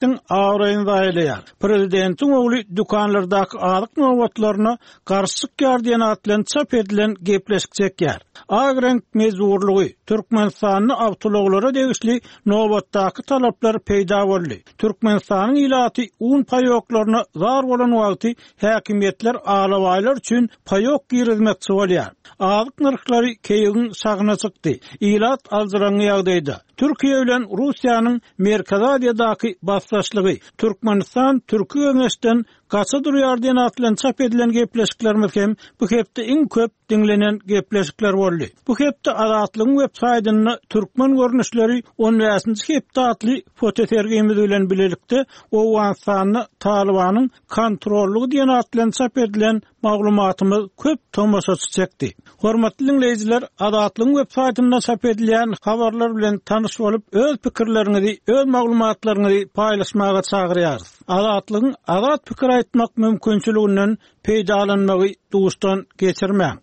Prezidentiň abraýyny zaýalaýar. Prezidentiň ogly dükanlardaky azyk nobatlaryna garşy çykýar diýen at bilen çap edilen gepleşik çekýär. Ak reňk mejburlygy, Türkmenistanda awtoulaglara degişli nobatdaky talaplar peýda boldy. Türkmenistanyň ilaty un paýoklaryna zar bolan wagty häkimiýetler alabaýlar üçin paýok girizmekçi bolýar. Azyk nyrhlary keýigiň şahyna çykdy. Ilat aljyraňňy ýagdaýda. Türkiýe bilen Russiýanyň Merkezi Aziýadaky basdaşlygy, Türkmenistan Türki Geňeşden gaça durýar diýen at bilen çap edilen gepleşiklerimiz hem bu hepde iň köp diňlenen gepleşikler boldy. Bu hepde Azatlygyň web saýtynda Türkmen görnüşleri on bäşinji hepde atly fotosergimiz bilen bilelikde Owganystanda Talybanyň kontrollygy diýen at bilen çap edilen maglumatymyz köp tomaşaçy çekdi. Hormatly diňleýjiler, Azatlygyň web saýtynda çap edilýän habarlar bilen tanyş bolup, öz pikirleriňizi, öz maglumatlaryňyzy paýlaşmaga çagyrýarys. Azatlygyň azat pikir aýtmak mümkinçiliginden peýdalanmagy duşdan geçirmäň.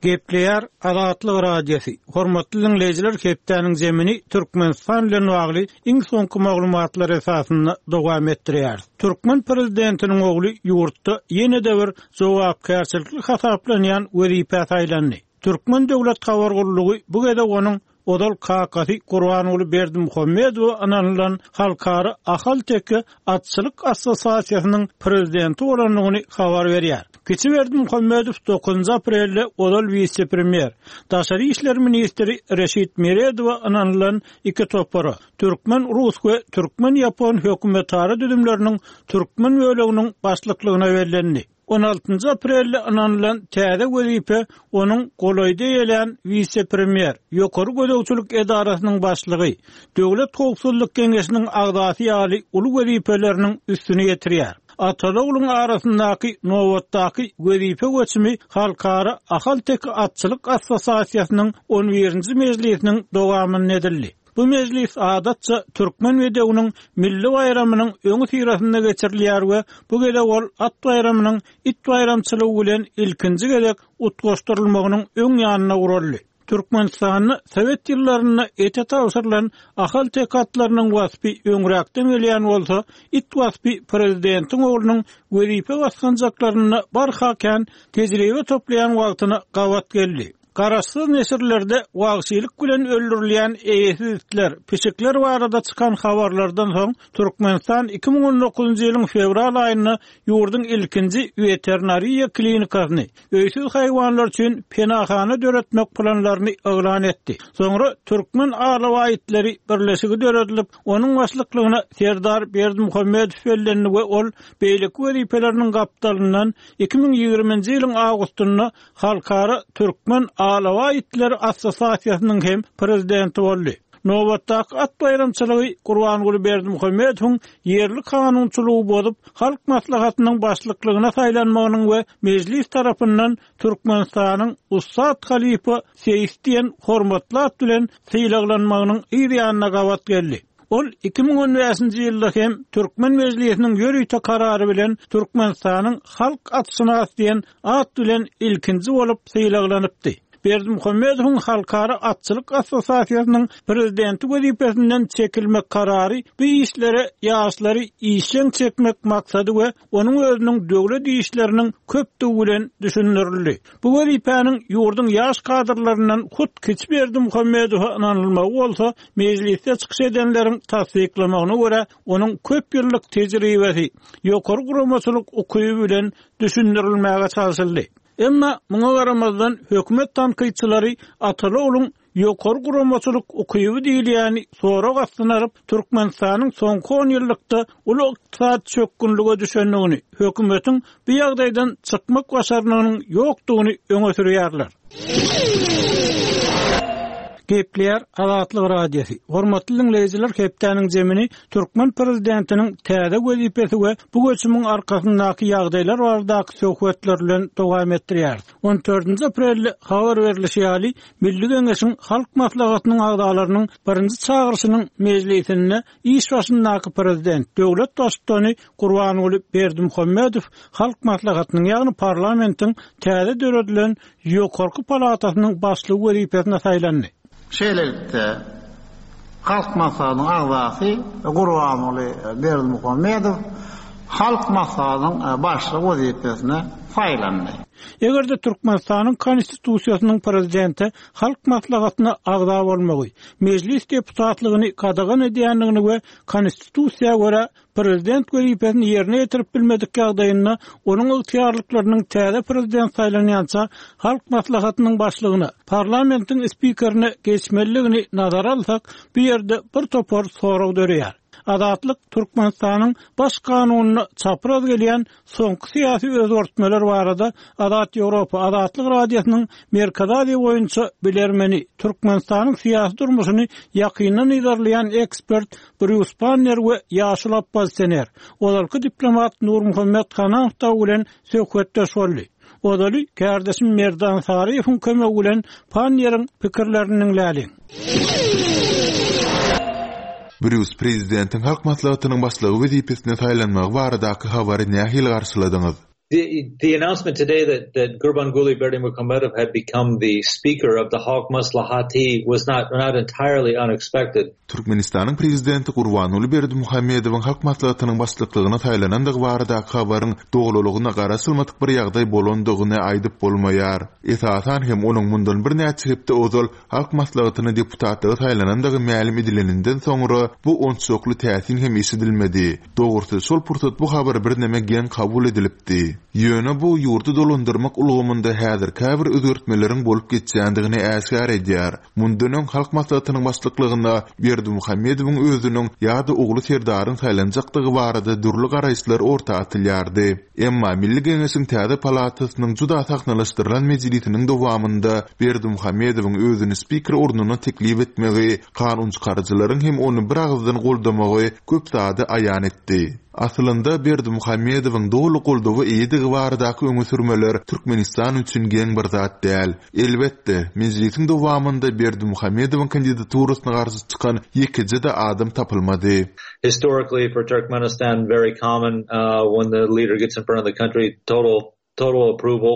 Gepleýär Azatlyk Radiosy. Hormatly diňleýjiler, hepdäniň zemini Türkmenistan bilen bagly iň soňky maglumatlar esasynda dowam etdirýäris. Türkmen prezidentiniň ogly ýurtda ýene-de bir jogapkärçilikli hasaplanýan wezipä saýlandy. Türkmen döwlet habar gullugy bu gezek onuň Ozal kakasy Gurbanguly Berdimuhamedowa ynanylan Halkara ahalteke atçylyk assosiasiýasynyň prezidenti bolandygyny habar berýär. Kiçi Berdimuhamedow dokuzynjy aprelde ozal wise-premýer, daşary işler ministri Reşit Meredowa ynanylan iki topara, türkmen-rus we türkmen-ýapon hökümetara düzümleriniň türkmen böleginiň başlyklygyna bellendi. On altynjy aprelde ynanylan täze wezipe onuň golaýda eýelän wise-premýer, Ýokary gözegçilik edarasynyň başlygy, Döwlet howpsuzlyk geňeşiniň agzasy ýaly uly wezipeleriniň üstüni ýetirýär. Ataly-ogluň arasyndaky nobatdaky wezipe göçümi Halkara ahalteke atçylyk assosiasiýasynyň on birinji mejlisiniň dowamynda edildi. Bu mejlis adatça Türkmen bedewiniň milli baýramynyň öňüsyrasynda geçirilýär we bu gezek ol at baýramynyň it baýramçylygy bilen ilkinji gezek utgaşdyrylmagynyň öň ýanynda guraldy. Türkmenistanda sowet ýyllarynda ete tabşyrylan ahalteke atlarynyň waspy öňräkden gelýän bolsa, it waspy prezidentiň oglunyň wezipe basgançaklarynda barha kän tejribe toplaýan wagtyna gabat geldi. Garaşsyz neşirlerde wagşylyk bilen öldürilýän eýesiz itler, pişikler barada çykan habarlardan soň, Türkmenistan 2019-njy ýylyň fewral aýynda ýurduň ilkinji weterinariýa klinikasyny, öýsüz haýwanlar üçin penahana döretmek planlaryny yglan etdi. Soňra Türkmen alabaý itleri birleşigi döredilip, onuň başlyklygyna Serdar Berdimuhamedow bellendi we ol beýleki wezipeleriniň gapdalyndan 2020-nji ýylyň awgustynda Halkara türkmen alabaý itleri assosiasiýasynyň hem prezidenti boldy. Nobatdaky at baýramçylygy Gurbanguly Berdimuhamedowyň ýerli kanunçylygy bozup, Halk Maslahatynyň başlyklygyna saýlanmagynyň we Mejlis tarapyndan Türkmenistanyň ussat halypa seýis diýen hormatly at bilen sylaglanmagynyň yz ýanyna gabat geldi. Ol 2015-nji ýylda hem Türkmen Mejlisiniň ýörite karary bilen Türkmenistanyň halk atşynasy diýen at bilen ilkinji bolup sylaglanypdy. Berdimuhamedowyň Halkara atçylyk assosiasiýasynyň prezidenti wezipesinden çekilmek karary bu işlere ýaşlary işjeň çekmek maksady we onuň özüniň döwlet işleriniň köpdügi bilen düşündirildi. Bu wezipäniň ýurduň ýaş kadrlaryndan hut kiçi Berdimuhamedowa ynanylmagy bolsa, mejlisde çykyş edenleriň tassyklamagyna görä, onuň köp ýyllyk tejribesi, ýokary guramaçylyk ukyby bilen düşündirilmäge çalşyldy. Emma muňa garamazdan, hökümet tankytçylary Ataly ogluň Ýokary guramaçylyk ukyby diýilýäni sorag astyna alyp, Türkmenistanyň soňky onýyllykda uly ykdysady çökgünlige düşendigini, hökümetiň bu ýagdaýdan çykmak başarnygynyň ýokdugyny öňe sürýärler. Gepleýär Azatlyk Radiosy. Hormatly diňleýjiler, hepdäniň zemini türkmen prezidentiniň täze wezipesi we bu göçümiň arkasyndaky ýagdaýlar baradaky söhbetler bilen dowam etdirýäris. On dördünji aprelde habar berlişi ýaly, Milli Geňeşiň Halk Maslahatynyň agzalarynyň birinji çagyryşynyň mejlisinde iş başyndaky prezident, döwlet Baştutany Gurbanguly Berdimuhamedow Halk Maslahatynyň, ýagny parlamentiň täze döredilen ýokarky palatasynyň başlygy wezipesine saýlandy. Şeýlelikde, Halk Maslahatynyň agzasy Gurbanguly Berdimuhamedow Halk Maslahatynyň Başlygy wezipesine saýlandy. Eger-de Türkmenistanyň Konstitusiýasynyň Prezidente Halk Maslahatyna agza bolmagy, Mejlis deputatlygyny gadagan edýändigini we Konstitusiýa görä Prezident wezipesini ýerine ýetirip bilmedik ýagdaýynda onuň ygtyýarlyklarynyň täze Prezident saýlanýança Halk Maslahatynyň Başlygyna, parlamentiň spikerine geçmelidigini nazara alsak, bu ýerde bir topar sorag döreýär. Azatlyk Türkmenistanyň Baş kanunyna çapraz gelýän soňky syýasy özgertmeler barada Azat Ýewropa, Azatlyk Radiosynyň Merkezi Aziýa boýunça bilermeni, Türkmenistanyň syýasy durmuşyny ýakyndan yzarlaýan ekspert Brýus Panner we ýaşuly oppozisioner, ozalky diplomat Nurmuhammet Hanamow dagy bilen söhbetdeş boldy. Ozaly kärdeşim Merdan Saryýewiň kömegi bilen Panneriň pikirlerini diňläliň. Brýus, prezidentiň Halk Maslahatynyň Başlygy wezipesine saýlanmagy baradaky habary nähili garşyladyňyz? The the announcement today that that Gurbanguly Berdimuhamedov had become the speaker of the Halk Maslahaty was not not entirely unexpected. Türkmenistanyň Prezidenti Gurbanguly Berdimuhamedowyň Halk Maslahatynyň Başlyklygyna saýlanandygy baradaky habaryň dolulygyna garaşylmadyk bir ýagdaý bolandygyny aýdyp bolmaýar. Esasan hem onuň mundan birnäçe hepde ozal Halk Maslahatyna deputatlyga saýlanandygy mälim edileninden soňra bu onçakly täsin hem eşidilmedi. Dogrusy, şol pursat bu habar birneme geň kabul edilipdi. Ýöne bu ýurdy dolandyrmak ulgamynda häzir käbir özgertmeleriň bolup geçýändigini äşgär edýär. Mundan öň Halk Maslahatynyň başlyklygyna Berdimuhamedowyň özüniň ýa-da ogly Serdaryň saýlanjakdygy barada dürli garaýyşlar orta atylýardy. Emma Milli Geňeşiň täze palatasynyň juda sahnalaşdyrylan mejlisiniň dowamynda Berdimuhamedowyň özüni spiker ornuna teklip etmegi, kanunçykaryjylaryň hem ony biragyzdan goldamagy köp zady aýan etdi. Aslynda, Berdimuhamedowyň doly goldawa eýedigi baradaky öňe sürmeler Türkmenistan üçin geň bir zat däl. Elbetde, mejlisiň dowamynda Berdimuhamedowyň kandidaturasyna garşy çykan ýekeje-de adam tapylmady. Historically for Turkmenistan very common when the leader gets in front of the country total total approval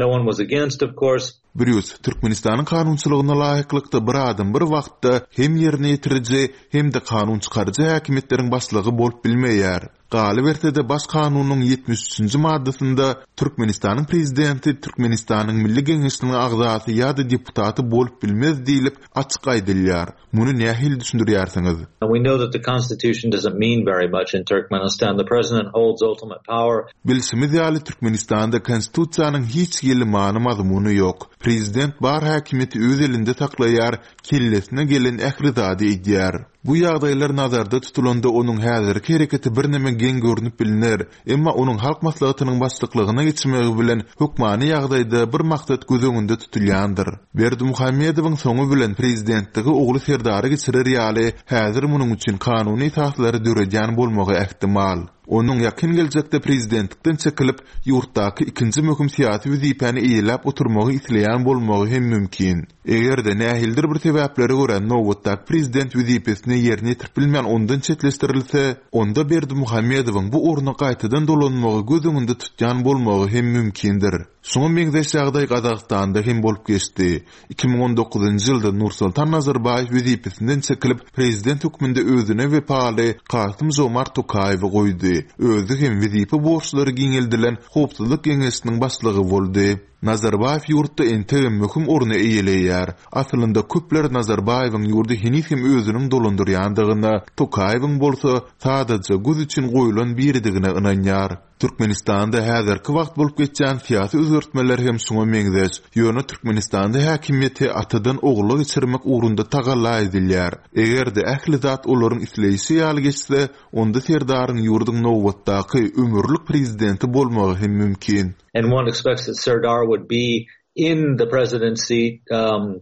no one was against of course. Brýus, Türkmenistanyň kanunçylygyna laýyklykda bir adam bir wagtda hem ýerine ýetiriji, hem-de kanun çykaryjy häkimiýetleriň başlygy bolup bilmeýär. Galyberse-de Baş kanunyň 73-nji maddasynda Türkmenistanyň Prezidenti Türkmenistanyň Milli Geňeşiniň agzasy ýa-da deputaty bolup bilmez diýlip açyk aýdylýar. Muny nähili düşündirýärsiňiz? We know that the constitution doesn't mean very much in Turkmenistan. The president holds ultimate power. Bilşimiz ýaly, Türkmenistanda Konstitusiýanyň hiç hili many-mazmuny ýok. Prezident bar häkimiýeti öz elinde saklaýar, kellesine gelen ähli zady edýär. Bu ýagdaýlar nazarda tutulanda onuň häzirki hereketi birneme geň görnüp bilner, emma onuň Halk Maslahatynyň başlyklygyna geçmegi bilen hökmany ýagdaýda bir maksat göz öňünde tutulýandyr. Berdimuhamedowyň soňy bilen prezidentligi ogly Serdara geçirer ýaly häzir munuň üçin kanuny esaslary döredýän bolmagy ähtimal. Onuň ýakyn geljekde prezidentlikden çekilip, ýurtdaky ikinji möhüm syýasy wezipäni eýeläp oturmagy isleýän bolmagy hem mümkin. Eger-de nähilidir bir sebäplere görä nobatdaky prezident wezipesini ýerine ýetirip bilmän ondan çetleşdirilse, onda Berdimuhamedowyň bu orna gaýtadan dolanmagy göz öňünde tutýan bolmagy hem mümkindir. Şuňa meňzeş ýagdaý Gazagystanda hem bolup geçdi. 2019-njy ýylda Nursultan Nazarbaýew wezipesinden çekilip, prezident hökmünde özüne wepaly Kasym-Žomart Tokaýewi goýdy. Özi hem wezipe borçlary giňeldilen Howpsuzlyk geňeşiniň başlygy boldy. Nazarbaýew ýurtda entegem möhüm orny eýeleýär. Aslynda köpler Nazarbaýewiň ýurdy heniz hem özüniň dolandyrýandygyna, Tokaýewiň bolsa sadaja göz üçin goýlan biridigine ynanýar. Türkmenistanda häzirki wagt bolup geçýän syýasy özgertmeler hem şuňa meňzeş. Ýöne Türkmenistanda häkimiýeti atadan ogula geçirmek ugrunda tagalla edilýär. Eger-de ähli zat olaryň isleýşi ýaly geçse, onda Serdaryň ýurduň nobatdaky ömürlik prezidenti bolmagy hem mümkin. And one expects that Serdar would be in the presidency um,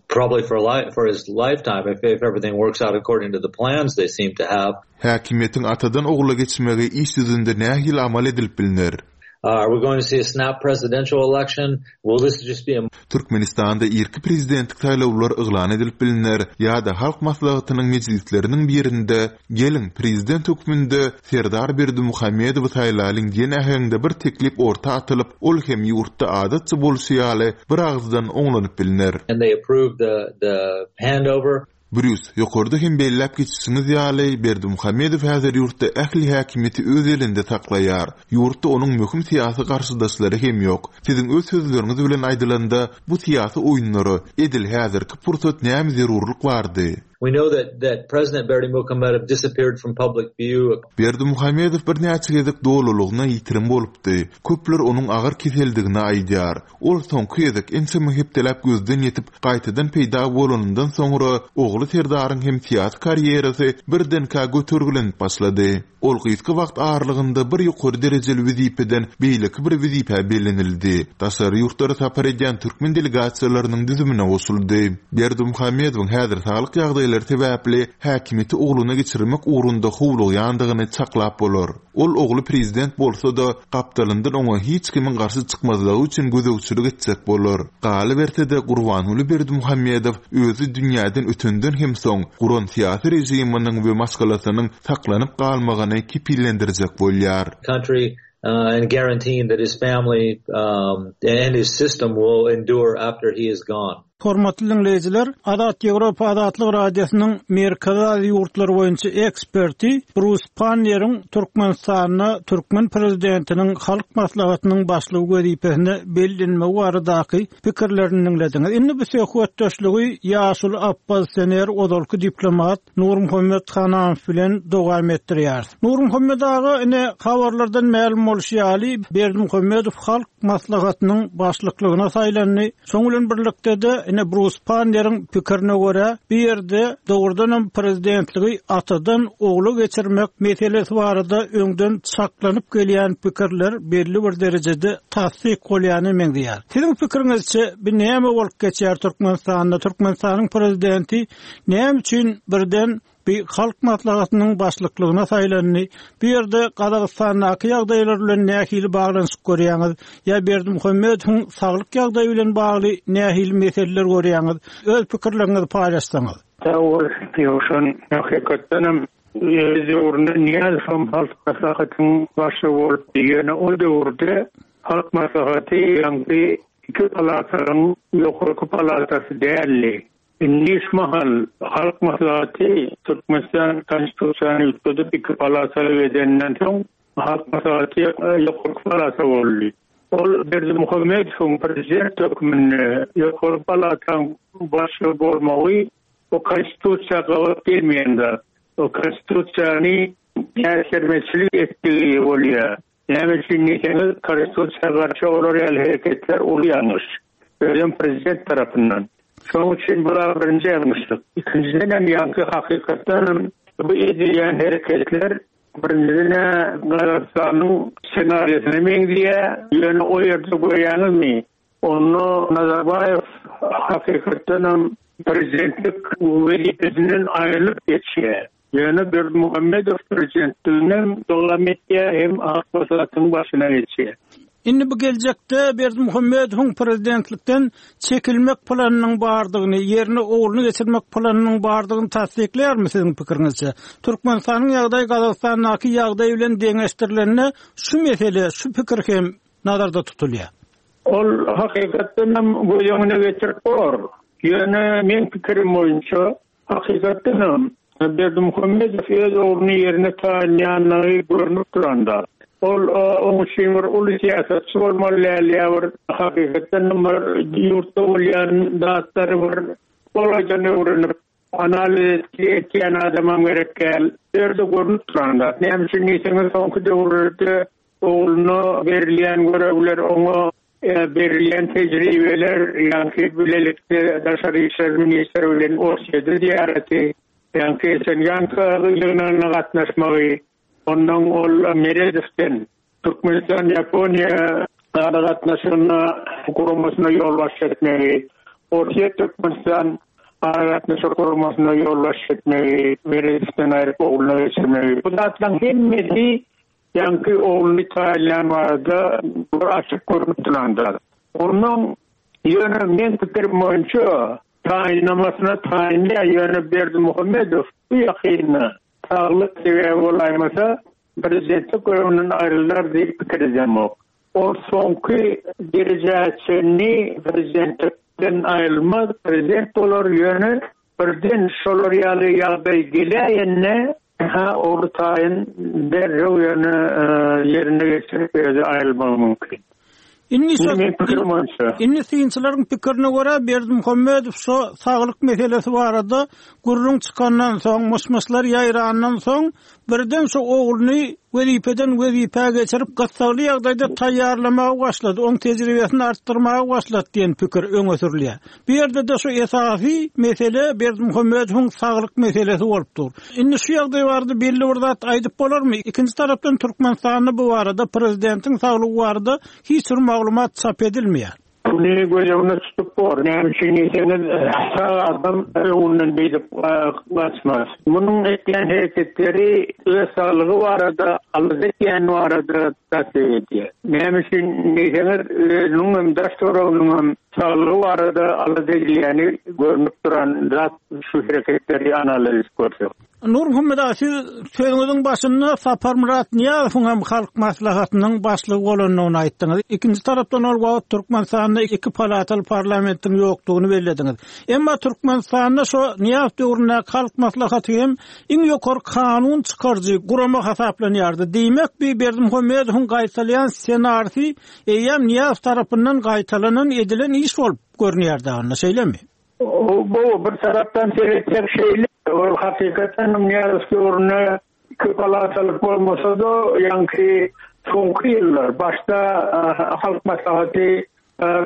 probably for li for his lifetime if, if everything works out according to the plans they seem to have. Häkimiýetiň atadan ogula geçmegi iş ýüzünde nähili amal edilip bilner? Uh, are we going to see a snap presidential election? Will this just be a Türkmenistanda irki prezidentlik saýlawlar yglan edilip bilner ýa-da Halk Maslahatynyň mejlisleriniň birinde Geliň, prezident hökmünde Serdar Berdimuhamedowy saýlalyň diýen äheňde bir teklip orta atylyp, ol hem ýurtda adatça bolşy ýaly, biragyzdan oňlanyp bilner. And they approved the the handover. Brýus, ýokarda hem belläp geçişiňiz ýaly, Berdimuhamedow häzir ýurtda ähli häkimiýeti öz elinde saklaýar. Ýurtda onuň möhüm syýasy garşydaşlary hem ýok. Siziň öz sözleriňiz bilen aýdylanda, bu syýasy oýunlara edil häzirki pursat näme zerurlyk bardy? We know that that President Berdimuhamedow disappeared from public view. Berdimuhamedow birnäçe gezek dolulygyna ýitirim bolupdy. Köpler onuň agyr keseldigini aýdýar. Ol soňky gezek ençeme hepdeläp gözden ýitip, gaýtadan peýda bolanyndan soňra, ogly Serdaryň hem syýasy karýerasy birdenkä götergilenip başlady. Ol gysga wagt aralygynda bir ýokary derejeli wezipeden beýleki bir wezipä bellenildi, daşary ýurtlara sapar edýän türkmen delegasiýalarynyň düzümine goşuldy. Berdimuhamedowyň häzir saglyk ýagdaýlary sebäpli häkimiýeti ogluna geçirmek ugrunda howlugýandygyny çaklap bolar. Ol ogly prezident bolsa-da, gapdalyndan oňa hiç kimiň garşy çykmazlygy üçin gözegçilik etjek bolar. Galyberse-de, Gurbanguly Berdimuhamedow özi dünýäden ötenden hem soň, guran syýasy režiminiň we maşgalasynyň saklanyp galmagyny kepillendirjek bolýar. country and guaranteeing that his family and his system will endure after he is gone. Hormatly diňleýjiler, Azat Ýewropa Azatlyk Radiosynyň Merkezi Aziýa ýurtlary boýunça eksperti Brus Panneriň Türkmenistanda türkmen prezidentiniň Halk Maslahatynyň başlygy wezipesine bellenmegi baradaky pikirlerini diňlediňiz. Indi bu söhbetdeşligi ýaşuly oppozisioner, ozalky diplomat Nurmuhammet Hananow bilen dowam etdirýäris. Nurmuhammet aga, ine, habarlardan mälim bolşy ýaly, Berdimuhamedow Halk Maslahatynyň başlyklygyna saýlandy. Şoň bilen birlikde-de, ine, Brus Panneriň pikirine görä, bu ýerde dogrudanam prezidentligi atadan ogla geçirmek meselesi barada öňden çaklanyp gelýän pikirler belli bir derejede tassyk bolýana meňzeýär. Siziň pikiriňizçe, bu näme bolup geçýär Türkmenistanda? Türkmenistanyň prezidenti Näme üçin birden bi Halk Maslahatynyň başlyklygyna saýlandy? Bu ýerde Gazagystandaky ýagdaýlar bilen nähili baglanyşyk görýäňiz? Ýa Berdimuhamedowyň saglyk ýagdaýy bilen bagly nähili meseleler görýäňiz? Öz pikirleriňizi paýlaşsaňyz. Sag bol, Ýowşan. Hakykatdanam, öz döwründe Nyýazowam Halk Maslahatynyň başlygy bolupdy. Ýöne ol döwürde Halk Maslahaty ýaňky iki palatanyň ýokarky palatasy däldi. Indi şu mahal Halk Maslahaty Türkmenistan Konstitusiýany üýtgedip iki palataly edeninden soň Halk Maslahaty ýokarky palata boldy. Ol Berdimuhamedowyň prezident hökmünde ýokary palataň başlygy bolmagy bu Konstitusiýa gabat gelmeýän zat. O Konstitusiýany äsgermezçilik etdigi bolýar. Näme üçin diýseňiz, Konstitusiýa garşy olar ýaly hereketler uly ýalňyş. Özem prezident tarapyndan. Şonuň üçin bu birinji ýalňyşlyk. Ikinjidenem ýaňky hakykatdanam bu edilýän hereketler birinjiden-ä Gazagystanyň ssenariýasyna meňzeýär. Ýöne o ýerde görýäňizmi, onda Nazarbaýew hakykatdanam prezidentlik wezipesinden aýrylyp geçýär. Ýöne Berdimuhamedow prezidentliginem dowam etýär hem Ak Maslahatyň başyna geçýär. Indi bu geljekde Berdimuhamedowyň prezidentlikden çekilmek planynyň bardygyny, ýerine ogluny geçirmek planynyň bardygyny tassyklaýarmy siziň pikiriňizçe? Türkmenistanyň ýagdaýy Gazagystandaky ýagdaý bilen deňeşdirilende şu mesele, şu pikir hem nazarda tutulýar. Ol hakykatdan hem göz öňüne getirip bolar. Ýöne meň pikirim boýunça Hakykatdanam, Berdimuhamedow öz ogluny ýerine taýynlaýanlygy görnüp duran zat. Ol oň üçin bir uly syýasatçy bolmaly däl ýa bir hakykatdanam bir ýurtda bolýan zatlary bir golaýdan öwrenip, analiz etýän adamam gerek däl. Bu ýerde görnüp duran zat. Näme üçin diýseňiz, soňky döwürlerde ogluna berilýän görevler oňa Berilýän tejribeler, ýaňky bilelikde daşary işler ministri bilen Orsýede zyýaraty, ýaňky Esenganka ýygnagyna gatnaşmagy, ondan ol Meredowden Türkmenistan-Ýaponiýa aragatnaşygyna guramasyna ýolbaşçy etmegi, Orsýet-Türkmenistan aragatnaşyk guramasyna ýolbaşçy etmegi, Meredowden aýryp ogluna geçirmegi, bu zatlaryň hemmesi Ýaňky ogluny taýynlaýan barada bir açyk görnüp duran zat. Onnoň ýöne meň pikirim boýunça taýynlamasyna taýynlaýar, ýöne Berdimuhamedow bu ýakynda saglyk sebäbi bolaýmasa prezidentlik görewinden aýrylar diýip pikir edemok. Ol soňky derejä çenli prezidentlikden aýrylmaz, prezident bolar, ýöne. Birden şolar ýaly ýagdaý geläýende, hä, ogly taýyn derrew ýöne ýerine geçirip özi aýrylmagy mümkin. Indi şo Indi synçylaryň pikirine görä Berdimuhamedow şo saglyk meselesi barada gürrüň çykandan soň, myş-myşlar ýaýrandan soň birden şo ogluny wezipeden wezipä geçirip gyssagly ýagdaýda taýýarlamaga başlady, oň tejribesini artdyrmaga başlady diýen pikir öňe sürülýär. Bu ýerde-de şu esasy mesele Berdimuhamedowyň saglyk meselesi bolup dur. Indi şu ýagdaý barada belli bir zat aýdyp bolarmy? Ikinji tarapdan Türkmenistanda bu barada prezidentiň saglygy barada hiç bir maglumat çap edilmeýär. Muny göz öňünde tutup bor. Näme üçin diýseňiz, sag adam öňünden beýdip gaçmaz. Munuň etýän hereketleri öz saglygy barada alada etýäni barada tassyk edýär. Näme üçin diýseňiz, özüniň hem daş-töwereginiň hem Saglygy barada alada edilýäni görnüp duran zat şu hereketleri analiz edip görsek. Nurmuhammet aga siz sözüňiziň başynda Saparmyrat Nyýazowyň hem Halk Maslahatynyň başlygy bolandygyny aýtdyňyz. Ikinji tarapdan ol wagt Türkmenistanda iki palataly parlamentiň ýokdugyny bellediňiz. Emma Türkmenistanda şo Nyýazow döwründäki Halk Maslahaty hem iň ýokary kanun çykaryjy gurama hasaplanýardy. Diýmek bi Berdimuhamedowyň gaýtalaýan ssenarisi Eýýäm Nyýazow tarapyndan gaýtalanan edilen iş bolup görünýär dagynda, şeýlemi? Bu bir tarapdan seretsek şeýle, ol hakykatdan hem Nyýazow döwründe köpalatalyk bolmasa-da, ýaňky soňky ýyllar, başda Halk Maslahaty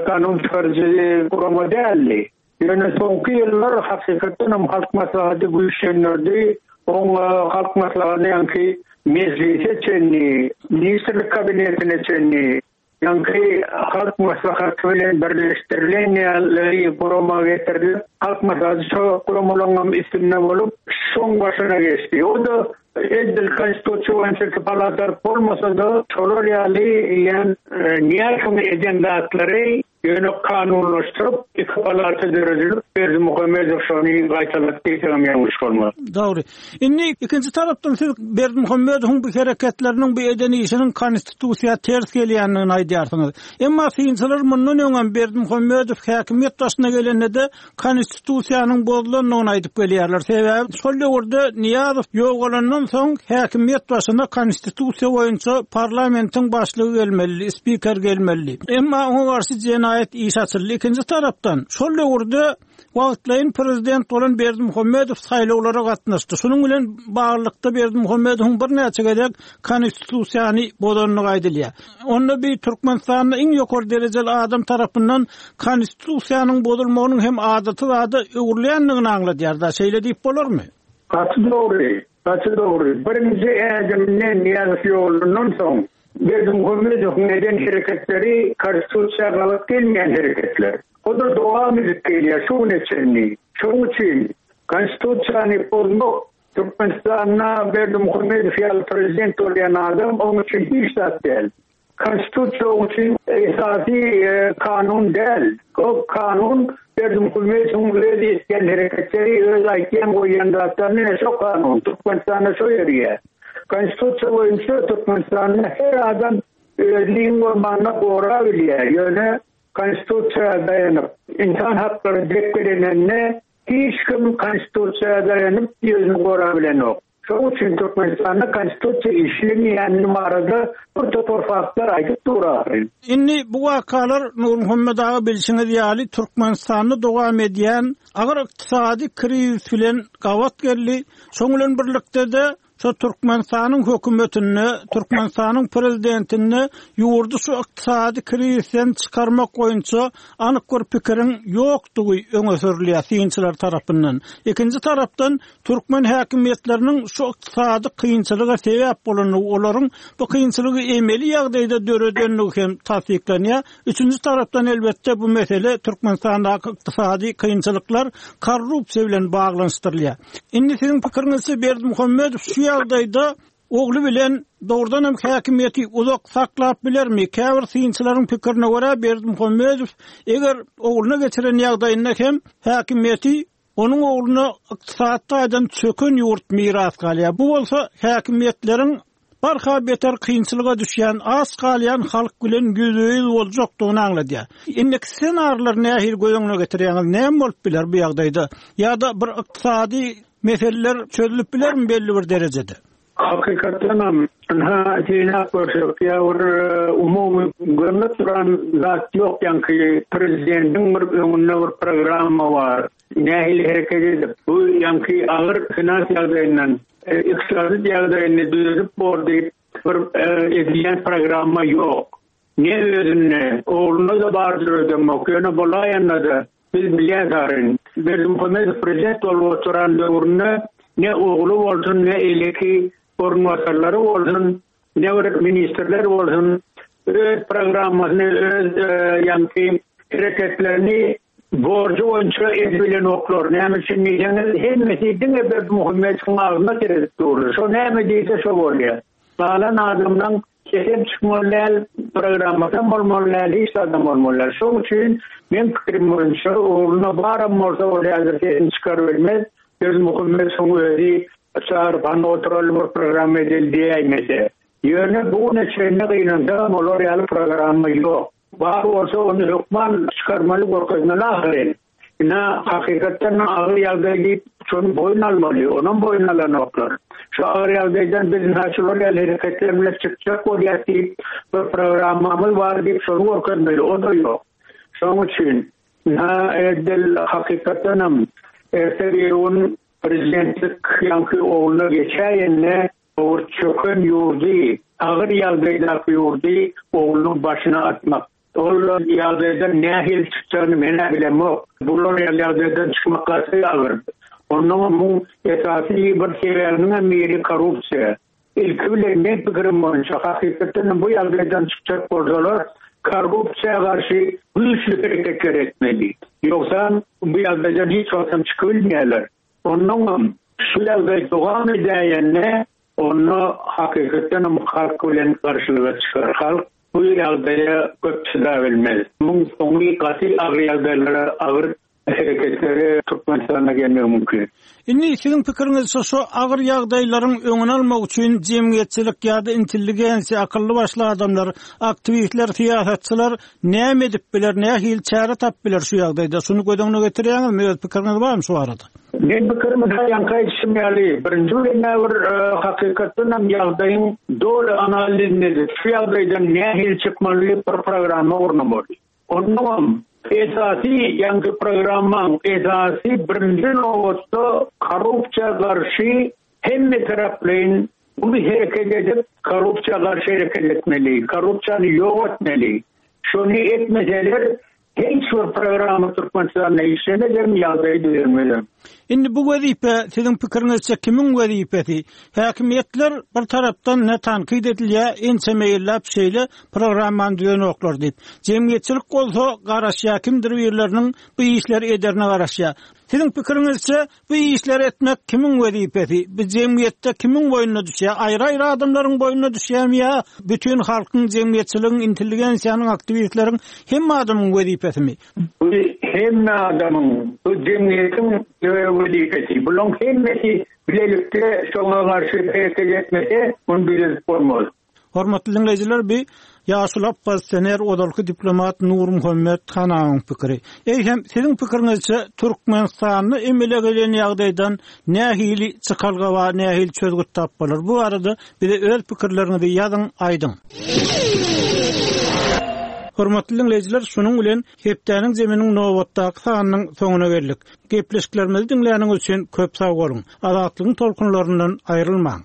kanun çykaryjy gurama däldi. Ýöne soňky ýyllar hakykatdan hem Halk Maslahaty güýçlendirdi. Oň Halk Maslahaty ýaňky Mejlise çenli, Ministrlik Kabinetine çenli, ýaňky Halk Maslahaty bilen birleşdirilen ýaly gurama getirilip, Halk Maslahaty şo guramalaryň hem üstünde bolup, şoň başyna geçdi. O-da edil Konstitusiýa boýunça palata bolmasa-da, şolar ýaly ýan Nyýazowyň eden zatlary Ýöne kanunlaşdyryp, iki palata döredilip, Berdimuhamedow şony gaýtalady diýsegem ýalňyş bolmaz. Dogry. Indi ikinji tarapdan siz Berdimuhamedowyň bu hereketleriniň, bu eden işiniň konstitusiýa ters gelýändigini aýdýarsyňyz. Emma synçylar mundan öňem Berdimuhamedow häkimiýet başyna gelende-de Konstitusiýanyň bozulandygyny aýdyp gelýärler. Sebäbi şol döwürde Nyýazow ýogalandan soň häkimiýet başyna Konstitusiýa boýunça parlamentiň başlygy gelmelidi, spiker gelmelidi. Emma oňa garşy jenaýat işi açyldy. Ikinji tarapdan, şol döwürde wagtlaýyn prezident bolan Berdimuhamedow saýlawlara gatnaşdy. Şunuň bilen baglylykda Berdimuhamedowyň birnäçe gezek Konstitusiýany bozandygy aýdylýar. Onda bi Türkmenistanda iň ýokary derejeli adam tarapyndan Konstitusiýanyň bozulmagynyň hem adaty zada öwrülýändigini aňladýar-da, şeýle diýip bolarmy? Gaty dogry, gaty dogry. Birinji ädiminde Nyýazow ýolundan soň Berdimuhamedowyň eden hereketleri Konstitusiýa gabat gelmeýän hereketler. O-da dowam edip gelýär şu güne çenli. Şonuň üçin Konstitusiýany bozmak Türkmenistanda Berdimuhamedow ýaly prezident bolýan adam oň üçin hiç zat däl. Konstitusiýa oň üçin esasy kanun däl. O kanun Berdimuhamedowyň öz etýän hereketleri, öz aýtýan goýýan zatlaryny ine şo kanun. Türkmenistanda şo ýörýär. Konstitusiýa boýunça Türkmenistanda her adam özüni iň bolmanda gorabilýär. Ýöne Konstitusiýa daýanyp ynsan haklary depgelenende Hiç kim Konstitusiýa daýanyp özüni gorabilenok. Şonuň üçin Türkmenistanda Konstitusiýa işlemeýänini barada bir topar faktlar aýdyp dur ahyryn. Indi bu wakalar Nurmuhammet aga bilşiňiz ýaly Türkmenistanda dowam edýän agyr ykdysady krizis bilen gabat geldi. Şoň bilen birlikde-de Şo Türkmenistanyň hökümetinde, Türkmenistanyň prezidentinde ýurdy şu ykdysady krizisden çykarmak boýunça anyk bir pikiriň ýokdugy öňe sürülýär synçylar tarapyndan. Ikinji tarapdan, türkmen häkimiýetleriniň şu ykdysady kynçylyga sebäp bolandygy, olaryň bu kynçylygy emeli ýagdaýda döredendigi hem tassyklanýar. Üçünji tarapdan, elbetde, bu mesele Türkmenistandaky ykdysady kynçylyklar korrupsiýa bilen baglanyşdyrylýar. Indi siziň pikiriňizçe Berdimuhamedow şu ýagdaýda ogly bilen dogrudan hem häkimiýeti uzak saklap bilermi? Käbir synçylaryň pikirine görä Berdimuhamedow eger ogluna geçiren ýagdaýynda hem häkimiýeti onuň ogluna ykdysady taýdan çöken ýurt miras galýar. Bu bolsa häkimiýetleriň. barha beter kynçylyga düşýän, aç galýan halk bilen ýüzbe-ýüz boljakdygyny aňladýar. Indiki ssenarileri nähili göz öňüne getirýäňiz, näme bolup biler bu ýagdaýda? Ýa-da bir ykdysady meseleler çözülip bilermi belli bir derejede? Hakykatdanam, ynha, synap görsek, ýa bir umumy görnüp duran zat ýok, ýaňky prezidentiň bir öňünde bir programma bar, nähili hereket edip, bu ýaňky agyr finans ýagdaýyndan, ykdysady ýagdaýyny düzedip bor diýip bir edilýän programma ýok. Ne özünde, oglunda-da bardyr öýdemok, ýöne bolaýanda-da, biz bilýäs aryn, Berdimuhamedow prezident bolup oturan döwründe ne ogly bolsun, ne eýleki orunbasarlary bolsun, ne bir ministrler bolsun, öz programmasyny, öz ýaňky hereketlerini borjy boýunça edibilenoklar. Näme üçin diýseňiz, hemmesi diňe Berdimuhamedowyň agzyna seredip durlar. Şo näme diýse şo bolýar. Galan adamlaň sesem çykmaly däl, programmasam bolmaly däl, hiç zadam bolmaly däl. Şoň üçin meň pikirim boýunça ogluna baram bolsa ol häzir sesini çykarybilmez. Berdimuhamedowyň özi çagyryp hany oturaly bir programma edeli diýäýmese. Ýöne bu güne çenli gynansagam olar ýaly programma ýok. Bar bolsa ony hökman çykarmaly görkezmeli ahyryn. Ine, hakykatdan agyr ýagdaý diýip, şony boýun almaly, onam boýun alanoklar. Şu agyr ýagdaýdan biz ynha şular ýaly hereketler bilen çykjak bolýas diýip, bir programmamyz bar diýip, şony görkezmeli, o-da ýok. Şonuň üçin, ynha, edil hakykatdanam erte-birigün prezidentlik ýaňky ogluna geçäýende, Owurt çöken ýurdy, agyr ýagdaýdaky ýurdy oglunyň başyna atmak. Ol ýagdaýdan nähili çykjagyny men-ä bilemok. Bular ýaly ýagdaýdan çykmak gaty agyr. Onnoňam muň esasy bir sebäbiniňem biri korrupsiýa. Ilki bilen meň pikirim boýunça hakykatdanam bu ýagdaýdan çykjak bolsalar korrupsiýa garşy güýçli hereketler etmeli. Ýogsam bu ýagdaýdan hiç wagtam çykybilmeýärler. Onnoňam şu ýagdaý dowam edäýende, onda hakykatdanam halk bilen garşylyga çykar. Halk bu ýagdaýa köp çydabilmez. Muň soňy gaty agyr ýagdaýlara, agyr hereketlere Türkmenistanda gelmegi mümkin. Indi siziň pikiriňizçe şu agyr ýagdaýlaryň öňüni almak üçin jemgyýetçilik ýa-da intelligensiýa, akylly-başly adamlar, aktiwistler, syýasatçylar Näme edip biler, nähili çäre tapyp biler şu ýagdaýda? Şuny göz öňüne getirýäňizmi, öz pikiriňiz barmy şu barada? Meň pikirim ýaňky aýdyşym ýaly, birinji bilen bir hakykatdan hem ýagdaýyň doly analizini edip, şu ýagdaýdan nähili çykmaly diýip bir programma gurnamaly. Onnoňam esasy ýaňky programmaň esasy birinji nobatda korrupsiýa garşy hemme taraplaýyn Uly hereket edip, korrupsiýa garşy hereket etmeli, korrupsiýany ýok etmeli. Şony etmeseler, hiç bir programma Türkmenistanda işlemezem, ýagdaýy düzelmezem. Indi bu wezipe, siziň pikiriňizçe, kimiň wezipesi? Häkimiýetler bir tarapdan ne tankyt edilýär, ençeme ýyllap şeýle programmany düzenoklar diýip. Jemgyýetçilik bolsa garaşýar, kimdir birleriniň bu işleri ederine garaşýar. Siziň pikiriňizçe, Bu işleri etmek kimiň wezipesi? Bu jemgyýetde kimiň boýnuna düşýär? Aýry-aýry adamlaryň boýnuna düşýärmi ýa bütin halkyň, jemgyýetçiligiň, intelligensiýanyň, aktiwistleriň, hemme adamyň wezipesimi? Bu hemme adamyň, bu jemgyýetiň wezipesi. Bularyň hemmesi bilelikde şoňa garşy hereket etmese, muny düzedip bolmaz. Hormatly diňleýjiler bi ýaşuly oppozisioner ozalky diplomat Nurmuhammet Hanawyň pikiri. Eýsem siziň pikiriňizçe Türkmenistanda emele gelen ýagdaýdan nähili çykalga bar nähili çözgüt tapyp bolar bu barada bize öz pikirleriňizi ýazyň aýdyň. Hormatly diňleýjiler şunuň bilen hepdäniň zeminiň nobatdaky sanynyň soňuna geldik. Gepleşiklerimizi diňläniňiz üçin köp sag boluň. Azatlygyň tolkunlaryndan aýrylmaň.